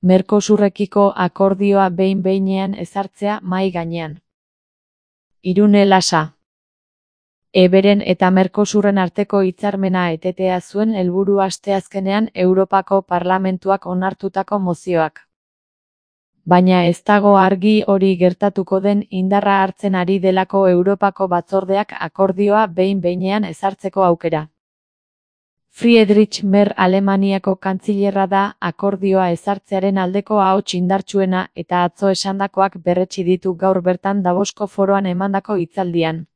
Mercosurrekiko akordioa behin-behinean ezartzea mahai gainean. Irune Lasa. Eberen eta Mercosurren arteko hitzarmena etetea zuen helburu asteazkenean Europako Parlamentuak onartutako mozioak. Baina ez dago argi hori gertatuko den indarra hartzen ari delako Europako batzordeak akordioa behin-behinean ezartzeko aukera. Friedrich Merz Alemaniako kantzilerra da akordioa ezartzearen aldeko ahots indartsuena eta atzo esandakoak berretsi ditu gaur bertan Davosko foroan emandako hitzaldian.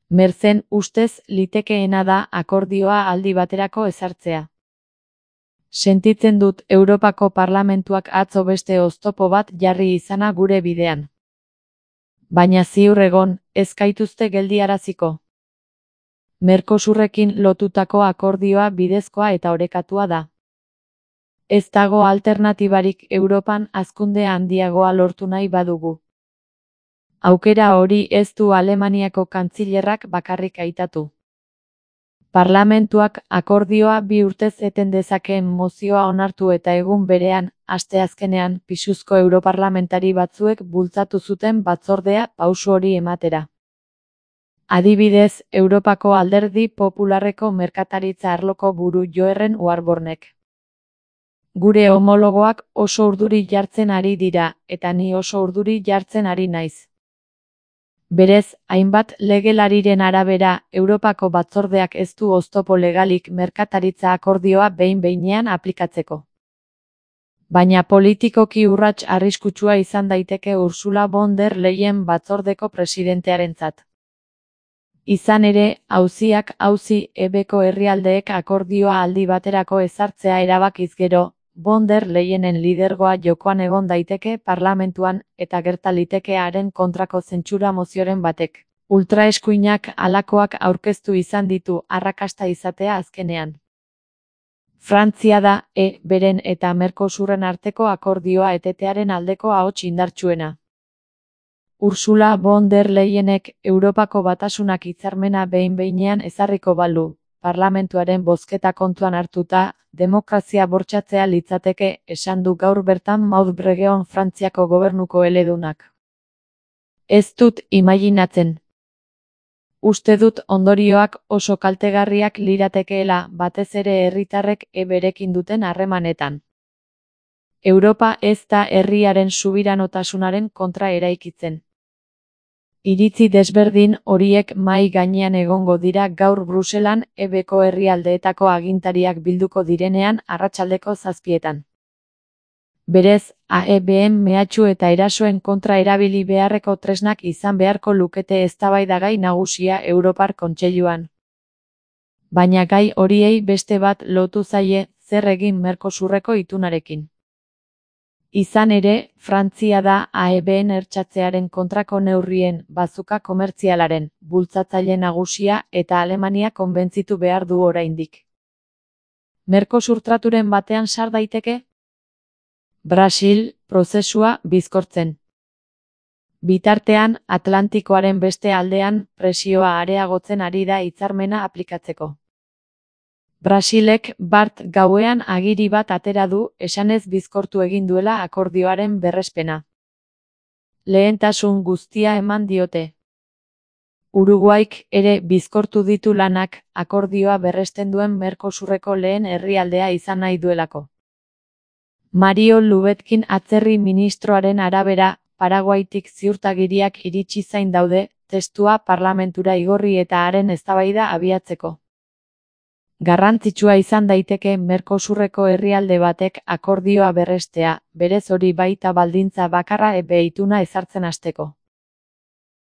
Merzen ustez litekeena da akordioa aldi baterako ezartzea. Sentitzen dut Europako Parlamentuak atzo beste oztopo bat jarri izana gure bidean. Baina ziur egon, ez gaituzte geldiaraziko. Mercosurrekin lotutako akordioa bidezkoa eta orekatua da. Ez dago alternatibarik Europan hazkunde handiagoa lortu nahi badugu. Aukera hori ez du Alemaniako kantzilerrak bakarrik aitatu. Parlamentuak akordioa 2 urtez eten dezakeen mozioa onartu eta egun berean, asteazkenean, pisuzko europarlamentari batzuek bultzatu zuten batzordea pauso hori ematera. Adibidez, Europako Alderdi Popularreko merkataritza arloko buru Joerren Warbornek. Gure homologoak oso urduri jartzen ari dira, eta ni oso urduri jartzen ari naiz. Berez, hainbat legelariren arabera, Europako batzordeak ez du oztopo legalik merkataritza akordioa behin-behinean aplikatzeko. Baina politikoki urrats arriskutsua izan daiteke Ursula von der Leyen batzordeko presidentearentzat. Izan ere, auzi ebeko herrialdeek akordioa aldi baterako ezartzea erabakiz gero, von der Leyenen lidergoa jokoan egon daiteke parlamentuan eta gerta liteke haren kontrako zentsura mozioren batek. Ultraeskuinak halakoak aurkeztu izan ditu arrakasta izatea azkenean. Frantzia da, beren eta Mercosurren arteko akordioa etetearen aldeko ahots indartsuena. Ursula von der Leyenek Europako Batasunak hitzarmena behin-behinean ezarriko balu, parlamentuaren bozketa kontuan hartuta, demokrazia bortxatzea litzateke, esan du gaur bertan Maud Bregeon Frantziako gobernuko eledunak. Ez dut imaginatzen. Uste dut ondorioak oso kaltegarriak liratekeela batez ere herritarrek berekin duten harremanetan. Europa ez da herriaren subiranotasunaren kontra eraikitzen. Iritzi desberdin horiek mahai gainean egongo dira gaur Bruselan ebeko herrialdeetako agintariak bilduko direnean arratsaldeko 7:00. Berez, AEBen mehatxu eta erasoen kontra erabili beharreko tresnak izan beharko lukete eztabaidagai nagusia Europar Kontseiluan. Baina gai horiei beste bat lotu zaie, zer egin Mercosurreko itunarekin. Izan ere, Frantzia da AEBen hertsatzearen kontrako neurrien, bazuka komertzialaren, bultzatzaile nagusia eta Alemania konbentzitu behar du oraindik. Mercosur traturen batean sar daiteke? Brasil, prozesua bizkortzen. Bitartean, Atlantikoaren beste aldean, presioa areagotzen ari da hitzarmena aplikatzeko. Brasilek bart gauean agiri bat atera du, esanez bizkortu egin duela akordioaren berrespena. Lehentasun guztia eman diote. Uruguaik ere bizkortu ditu lanak, akordioa berresten duen Mercosurreko lehen herrialdea izan nahi duelako. Mario Lubetkin atzerri ministroaren arabera, Paraguaitik ziurtagiriak iritsi zain daude, testua parlamentura igorri eta haren eztabaida abiatzeko. Garrantzitsua izan daiteke Mercosurreko herrialde batek akordioa berrestea, berez hori baita baldintza bakarra ituna ezartzen hasteko.